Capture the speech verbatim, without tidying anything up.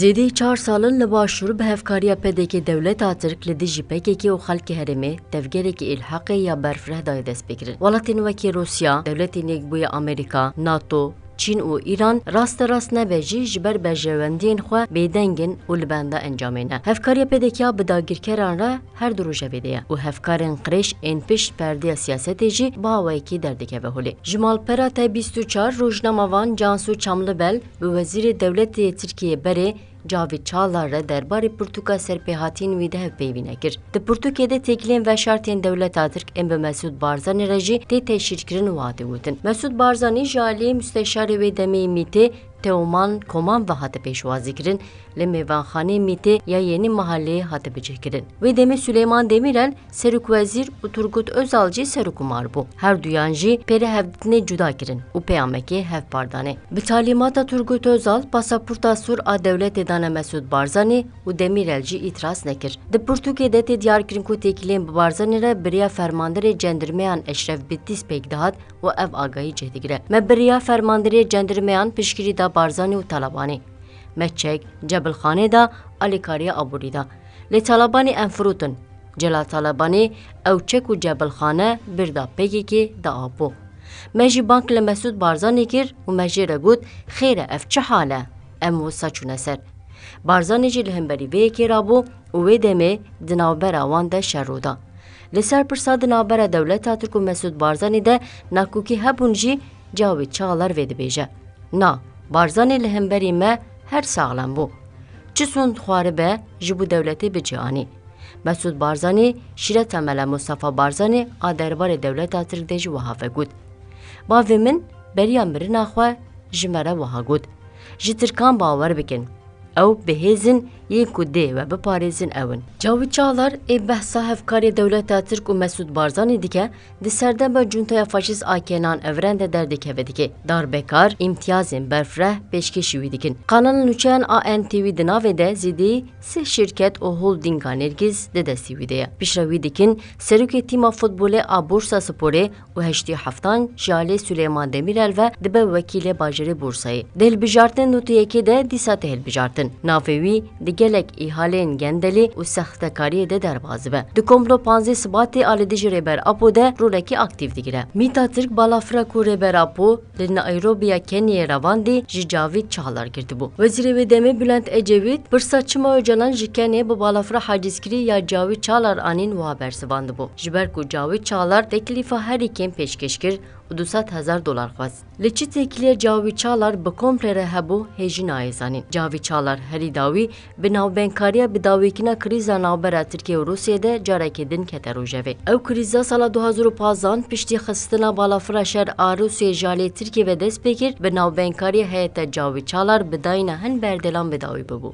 Zêdî çar sal in li Başûr bi hevkariya P D K dewleta Tirk li dijî P K K û xelkê herêmê tevgerekî îlhaqê ya berfireh dayê destpêkirin. Welatên wekî Rûsya, Dewletên Yekbûyî Amerîka, NATO, Çîn û Îran raste rast nebe jî ji ber berjewendiyên xwe bêdeng in û li benda encamê ne. Hevkariya P D K bi dagirkeran re her du rojevê de ye û hevkarên qirêj ên pişt perdeya siyasetê jî bi awayekî derdikeve holê. Ji malpera T bîst û çar rojnamevan Cansu Çamlibel bi wezîrê dewletê Tirkiyê berê Cavît Çağlar re derbarê pirtûka serpêhatiyên wî de hevpeyvîne kir. Di pirtûkê de têkiliyên veşartiyên dewleta Tirk ên bi Mesûd Barzanî re jî tê teşhîrkirin û hatê gotin: Mesûd Barzanî ji aliyê musteşarê wê demê yê MÎTê Teoman Koman ve hate pêşwazîkirin, li mêvanxaneyê MÎTê ya Yenî Mahaleyê hate bicihkirin. Wê demê Suleyman Demîrel serokwezîr û Turgut Özal jî serokkomar bû. Her duyan jî pê re hevdîtinê cuda kirin û peyamekê hevpar danê. Bi talîmata Turgut Özal, pasaporta sor a dewletê dane Mesûd Barzanî û Demîrel jî îtiraz nekir. Di pirtûkê de tê diyarkirin ku têkiliyên bi Barzanî re bi riya fermanderê cendirmeyan Eşref Bitîs pêk dihat û ev agahî cih digire: Me bi riya fermanderê cendirmeyan piştgirî da Barzanî û Talabanî. Me çek, cebilxanê da, alîkariya aborî da. Lê Talabanî em firotin. Celal Talabanî ew çek û cebilxane bir da P K K, da Apo. Me jî bang li Mesûd Barzanî kir û me jê re got: Xêr e, ev çi hal e? Em wisa çûne ser. Barzanî jî li hemberî vê yekê rabû û wê demê di navbera wan de şer rû da. Li ser pirsa di navbera dewleta Tirk û Mesûd Barzanî de nakokî hebûn jî, Cawît Çağlar vê dibêje: Na, Barzanî li hemberî me her saxlem bû. Çi sûnd xwaribe ji bo dewletê bi cih anî. Mesûd Barzanî şîreta Mela Mustafa Barzanî a derbarê dewleta Tirk de jî wiha vegot: Bavê min beriya mirina xwe ji me re wiha got: Ji Tirkan bawer bikin. Ew bi hêz in, yên ku dê we biparêzin ew in. Cawît Çağlar ê behsa hevkariyê dewleta Tirk û Mesûd Barzanî dike, di serdema cuntaya faşîst a Kenan Evren de derdikeve dike. Darbekar îmtiyazên berfireh pêşkêşî wî dikin. Kanala nûçeyan A N T V di navê de zêdî sih şirket û holdînga Nêrgiz di destî wî de ye. Piştre wî dikin serokê tîma futbolê a Bursa Sporê û heştê heftan ji alê Suleyman Demîrel ve dibe wekîlê bajarê Bursayê. Di hilbijartinên notê yekê de dîsa tê hilbijartin. Navê wî di gelek îhaleyên gendelî û sextekariyê de derbas dibe. Di komplo panzdeh Sibatê a li dijî Rêber Apo de rolekî aktîf digire. Mîta Tirk balafira ku Rêber Apo li Nairobiya Kenyayê revandî ji Cavît Çağlar girtibû. Wezîrê wê demê Bülent Ecevît pirsa çima Ocalan ji Kenyayê bi balafira hacizkirî ya Cavît Çağlar anîn wiha bersivandibû: Ji ber ku Cavît Çağlar teklîfa herî kêm pêşkêş kir û du sed hezar dolar xwest. Li çi têkiliya Cavît Çağlar bi komple re hebû hê jî nayê zanîn. Cavît Çağlar herî dawî bi navbeynkariya bidawîkirina krîza navbera Tirkiye û Rûsiyê de carekê din kete rojevê. Ew krîza sala du hazar û panzdan piştî xistina balafira şer a Rûsiyê ji alê Tirkiye ve dest pê kir, bi navbeynkariya heyeta Cavît Çağlar bi dayîna hin berdêlan bidawî bibû.